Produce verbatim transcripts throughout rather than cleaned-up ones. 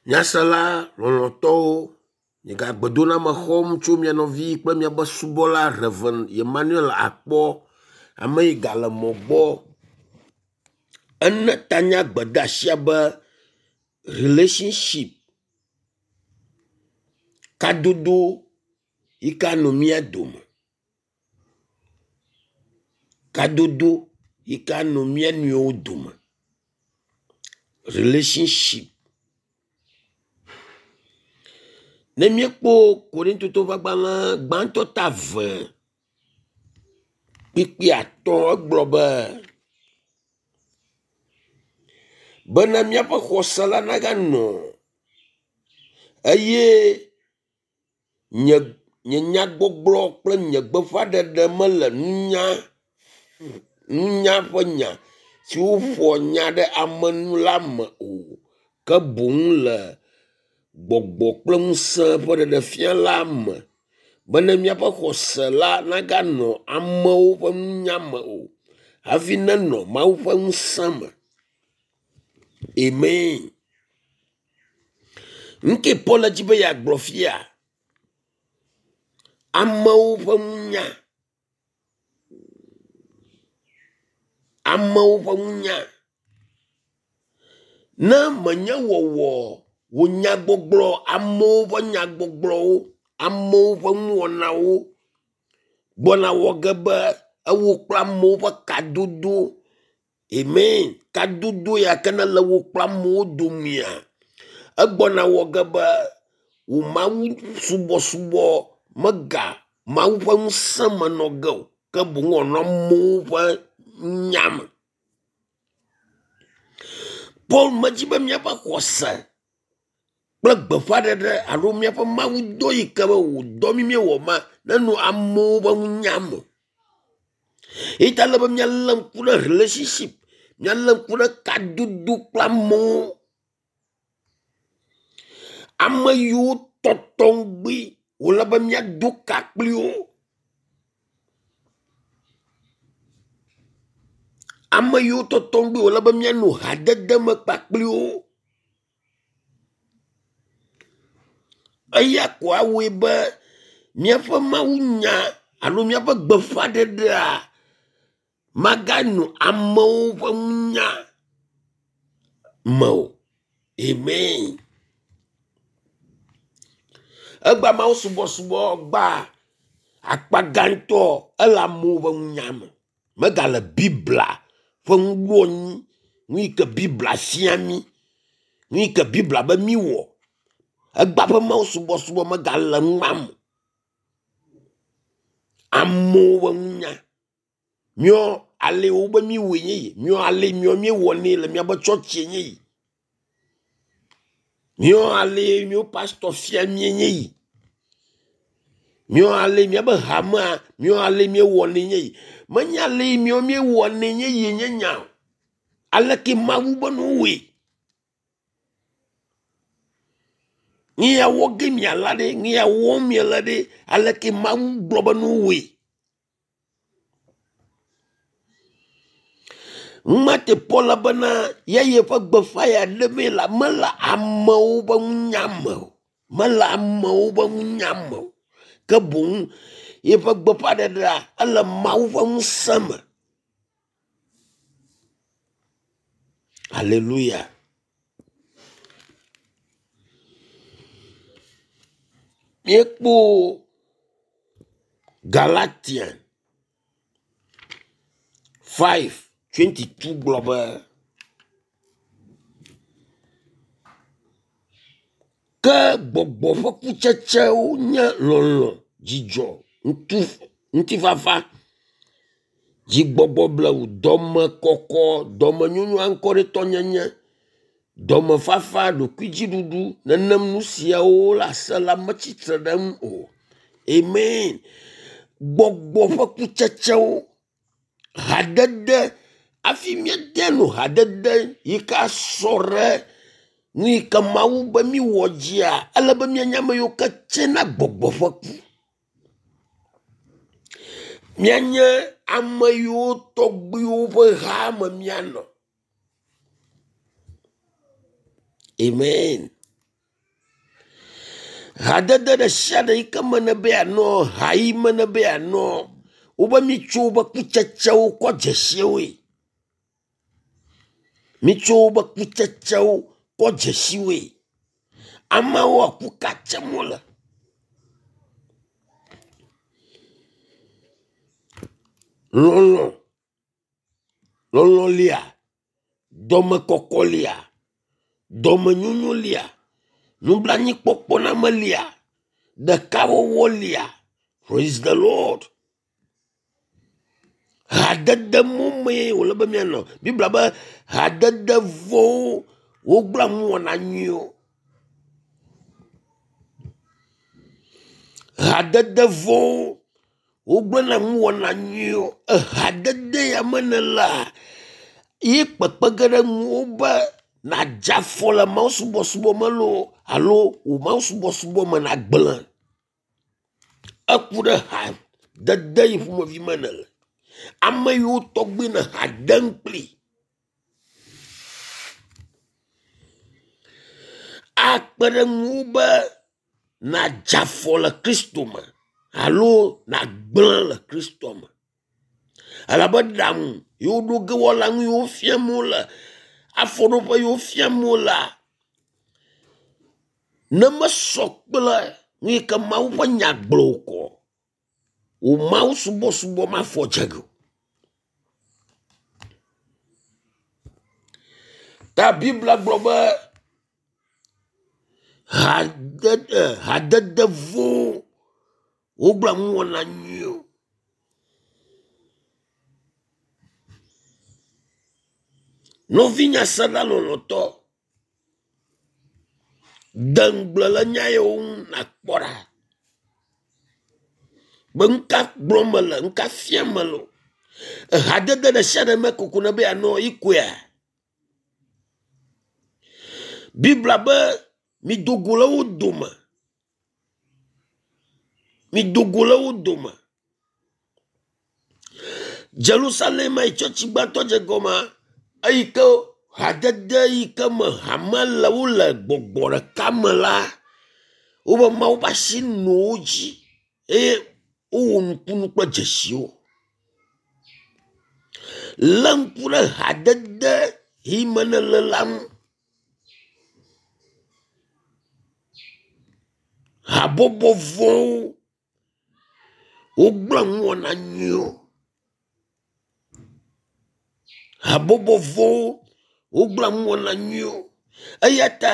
Nyasela lɔlɔ̃tɔwo, miegagbe xɔm tso mia nɔvi kple miaƒe subɔla Rev. Emmanuel Akpɔ, ame yi gale mɔ gbɔ. Ene tanya gbedeasia be relationship kadodo yi ke anɔ mía dome. Kadodo yi ke anɔ mía nɔewo dome. Relationship. Ne míekpɔ Korintotɔwo ƒe agbalẽ gbãtɔ ta eve kpukpui atɔ̃ egblɔ be, bena míaƒe xɔse la naganɔ eye nye nye nyagbɔgblɔ kple nye gbeƒãɖeɖe mele nunya nunya ƒe nya si woƒoa nya ɖe ame nu la me o ke boŋ le gbɔgbɔ kple ŋusẽ ƒe ɖeɖefia la me bene míaƒe xɔse la naganɔ amewo ƒe nunya me o hafi nenɔ Mawu ƒe ŋusẽ me. Amen. Nu ke Paul dzi be yeagblɔ fia? Amewo ƒe nunya. Amewo ƒe nunya. Ne menye wɔwɔ wò nyagbɔgblɔ amewo ƒe nyagbɔgblɔwo, amewo ƒe nuwɔnawo gbɔna wɔ ge be ewo kple amewo ƒe kadodo amen kadodo ya ke nele wò kple amewo domea egbɔna wɔ ge be wò Mawu subɔsubɔ mega Mawu ƒe ŋusẽ me nɔ ge o ke boŋ wòanɔ amewo ƒe nya me. Paul medzi be míaƒe xɔse kple gbeƒãɖeɖe alo míaƒe Mawu dɔ yi ke be wòdɔ mí míewɔ ma nenɔ amewo ƒe nunya me. Eyi ta ele be míalé ŋku ɖe relationship, míalé ŋku ɖe kadodo kple amewo. Ame yiwo tɔtɔŋgbi wòle be míado ka kpli wo. Ame yiwo tɔtɔŋgbi wòle be míanɔ hadede me kpakpli wo. Eya ko awɔe be míaƒe mawunya alo míaƒe gbeƒãɖeɖea maganɔ amewo ƒe nunya me o. Amen. Egbea Mawu subɔsubɔ gba akpa gãtɔ ele amewo ƒe nunya me. Megale Biblia ƒe nuɖoanyi, nu yi ke Biblia fia mí, nu yi ke Biblia be míwɔ. Egbea ƒe Mawu subɔsubɔ megale nua me. Amewo ƒe nunya. Míɔ ale wobe míwɔe nye yi. Míɔ ale míɔ míewɔnɛ le míaƒe tsɔtsie nye yi. Míɔ ale míɔ pastor fia míe nye yi. Míɔ ale míaƒe hamea, míɔ ale míewɔnɛ nye yi. Menye ale míɔ míewɔnɛ nye yi nye nya o. Aleke Mawu be nuwɔe. Nu ya wɔ ge miala ɖe, nu ya wɔm miele ɖe, aleke Mawu gblɔ be nuwɔe. Ŋumate Paul bena ye yeƒe gbeƒã ya ɖemee la mele amewo ƒe nunya me o. Mele amewo ƒe nunya me o. Ke boŋ yeƒe gbeƒãɖeɖea ele Mawu ƒe ŋusẽ me. Hallelujah. Míekpɔ Galatian five twenty two gblɔ be ke gbɔgbɔ ƒe kutsetsewo nye lɔlɔ̃, dzidzɔ, ŋutu, ŋutifafa, dzigbɔgbɔ blewu, dɔmekɔkɔ, dɔmenyonyo, aŋkɔɖetɔnyenye, dɔmefafa, ɖokuidziɖuɖu. Nenem nu siawo le ase la metsitre ɖe eŋu o. Amen. Gbɔgbɔ ƒe kutsetsewo, hadede hafi míede nu hadede yi ke asɔ ɖe nu yi ke Mawu be míwɔ dzia, ele be míanye ame yiwo ke tsena gbɔgbɔ ƒe ku. Míanye ame yiwo tɔgbiwo ƒe ha me míanɔ. Amen. Hadede ɖe sia ɖe yi ke me nebe yeanɔ, ha yi me nebe yeanɔ, wobe mitso wobe kutsetsewo kɔ dze si woe. Mitso wobe kutsetsewo kɔ dze si woe. Amewo aku ka tsem wole. Lɔlɔ, lɔlɔ lia, dɔmekɔkɔ lia, dɔmenyonyo lia, nublanuikpɔkpɔname lia, ɖekawɔwɔ lia. Praise the Lord. Hadede mo mee wòle be míanɔ. Biblia be hadede vɔ̃wo wogblẽa nuwɔna nyuiwo. Hadede vɔ̃wo wogblẽna nuwɔna nyuiwo. Ehadede ya me nèlea, ye kpekpe ge ɖe ŋuwò be nàdze afɔ le mawusubɔsubɔ me loo alo wò mawusubɔsubɔ me nagblẽ. Eku ɖe hadede yi ƒomevi me nèle. Ame yiwo tɔgbi ne ha dem kpli akpe ɖe ŋuwò be nàdze afɔ le Kristo me alo nàgblẽ le Kristo me. Elabe ɖaŋu yi woɖo ge woala nu yiwo fiam wole, afɔɖoƒe yiwo fiam wolea, ne mesɔ kple nu yi ke Mawu ƒe nya gblɔ o kɔ, wò mawusubɔsubɔ mafɔ dze ge o. Ta Biblia gblɔ be hadede hadede vɔ̃wo wogblẽa nuwɔna nyuiwo. Nɔvinye aseɖa lɔlɔ̃tɔ, de ŋugble le nya yawo ŋu nàkpɔ ɖa be nu ka gblɔm mele, nu ka fiam mele wo. Ehadede ɖe sia ɖe me kokoko ne be yeanɔ yi koea? Biblia be mido go le wo dome. Mido go le wo dome. Jerusalem yi tsɔtsi gbãtɔ dze gɔmea, eyi ke hadede yi ke me hame le wole gbɔgbɔ ɖeka me la, wobe Mawu ƒe asi nɔ wo dzi eye wowɔ nukunu kple dzesiwo. Lé ŋku ɖe hadede yi me nèle la ŋu. Habɔbɔ vɔ̃wo wogblẽa nuwɔna nyuiwo. Habɔbɔ vɔ̃wo wogblẽa nuwɔna nyuiwo. Eya ta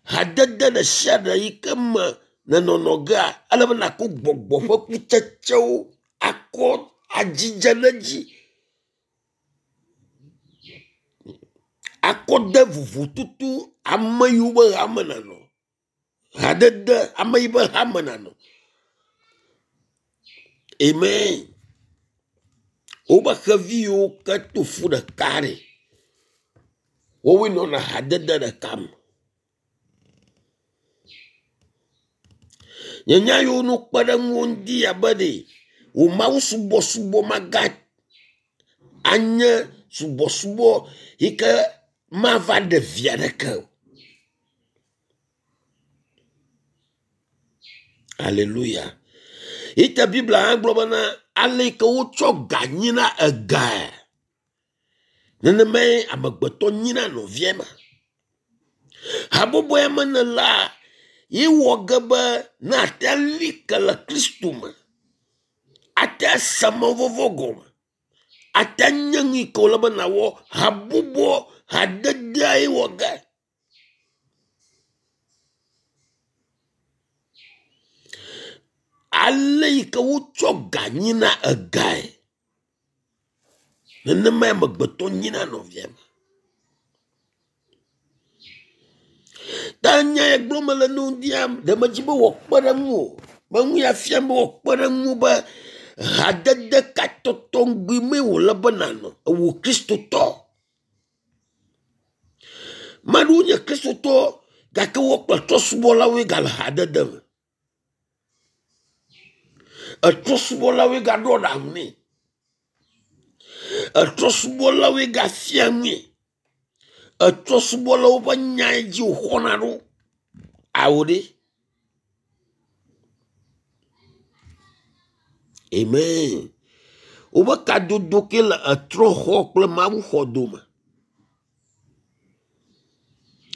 hadede ɖe sia ɖe yi ke me nènɔnɔ gea, ele be nàkɔ gbɔgbɔ ƒe kutsetsewo akɔ adzidze ɖe edzi akɔ de vovototo ame yiwo be hame nènɔ. Hadede ame yi be hame nànɔ. Amen. Wobe xevi yiwo ke to fu ɖeka ɖe, wowoe nɔna hadede ɖeka me. Nye nya yiwo no kpe ɖe ŋuwò ŋdi abe ɖe wò mawusubɔsubɔ maga anye subɔsubɔ yi ke mava ɖe vi aɖeke o. Aleluya. Yi ta Biblia hã gblɔ bena ale yi ke wotsɔ ga nyina egae, nenemae amegbetɔ nyina nɔvia ma. Habɔbɔ ya me nèlea, ye wɔ ge be ne ate ali ke le Kristo me, ate ase mawuvɔvɔ̃ gɔme, ate nye nu yi ke wòle be nàwɔ habɔbɔ hadedea ye wɔ ge. Ale yi ke wotsɔ ga nyina egae, nenemae amegbetɔ nyina nɔvia ma. Ta nya ya gblɔm mele ne wò ŋdia, ɖe medzi be wòakpe ɖe ŋuwò, be nu ya fiam be wòakpe ɖe ŋuwò be hadede ka tɔtɔŋgbi mee wòle be nànɔ ewò Kristotɔ. Ame aɖewo nye Kristotɔ gake wo kple trɔ̃subɔlawoe gale hadede me. Etrɔ̃subɔlawoe gaɖo aɖaŋu nɛ. Etrɔ̃subɔlawoe gafia nui. Etrɔ̃subɔlawo ƒe nyae dzi wòxɔna ɖo. Ao ɖe. Amen. Wobe kadodo ke le etrɔxɔ kple mawuxɔ dome.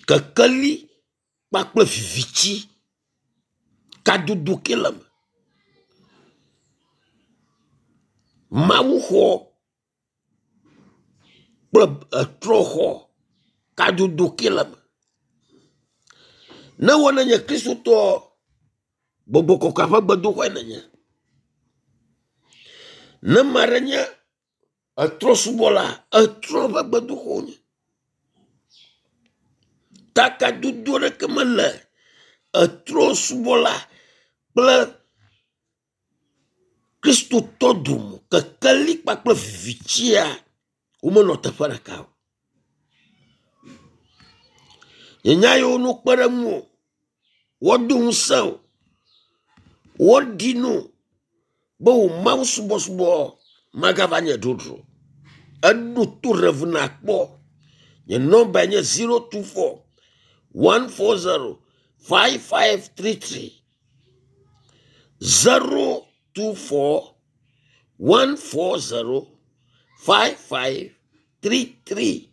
Kekeli kpakple viviti kadodo ke le me. Mawuxɔ kple etrɔxɔ kadodo ke le me. Ne wɔ nenye kristotɔ gbɔgbɔ kɔkɔea ƒe gbedoxɔe nenye. Ne ame aɖe nye etrɔsubɔla, etrɔ ƒe gbedoxɔ wonye. Ta kadodo ɖeke mele etrɔsubɔla kple kristotɔ dome kekeli kpakple vivitsia womenɔ teƒe ɖeka o. Nye nya yiwo no kpe ɖe ŋuwò, woado ŋusẽ wò, woaɖi no be wò Mawu subɔsubɔ magava nye dzodzro. Eɖo to Rev nakpɔ. Nye nɔmbae nye zero two four one four zero five five three three. Zero two four one four zero five five three three.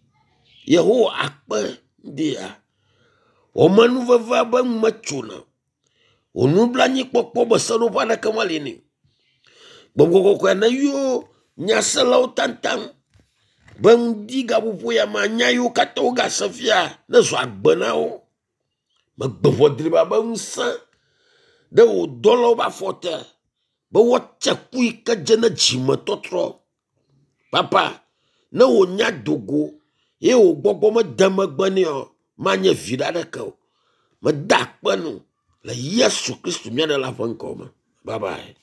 Yehowa akpe ɖia. Wɔmenuvevea be nu metsona o. Wò nublanuikpɔkpɔ be seɖoƒe aɖeke meli nɛ o. Gbɔgbɔ kɔkɔe ne yɔ nyaselawo taŋtaŋ be ŋdi gaƒoƒo ya me nya yiwo katã wogase fia ne zɔ agbe na wo. Megbe ʋɔ driba be ŋusẽ ɖe wò dɔlawo ƒe afɔ te be woatse ku yi ke dze ne dzimetɔtrɔ. Papa, ne wò nya dogo ye wò gbɔgbɔ mede megbe nɛ o, manye viɖe aɖeke o. Meda akpe nu le Yesu Kristu mía Ɖela ƒe ŋkɔ me. Bye bye.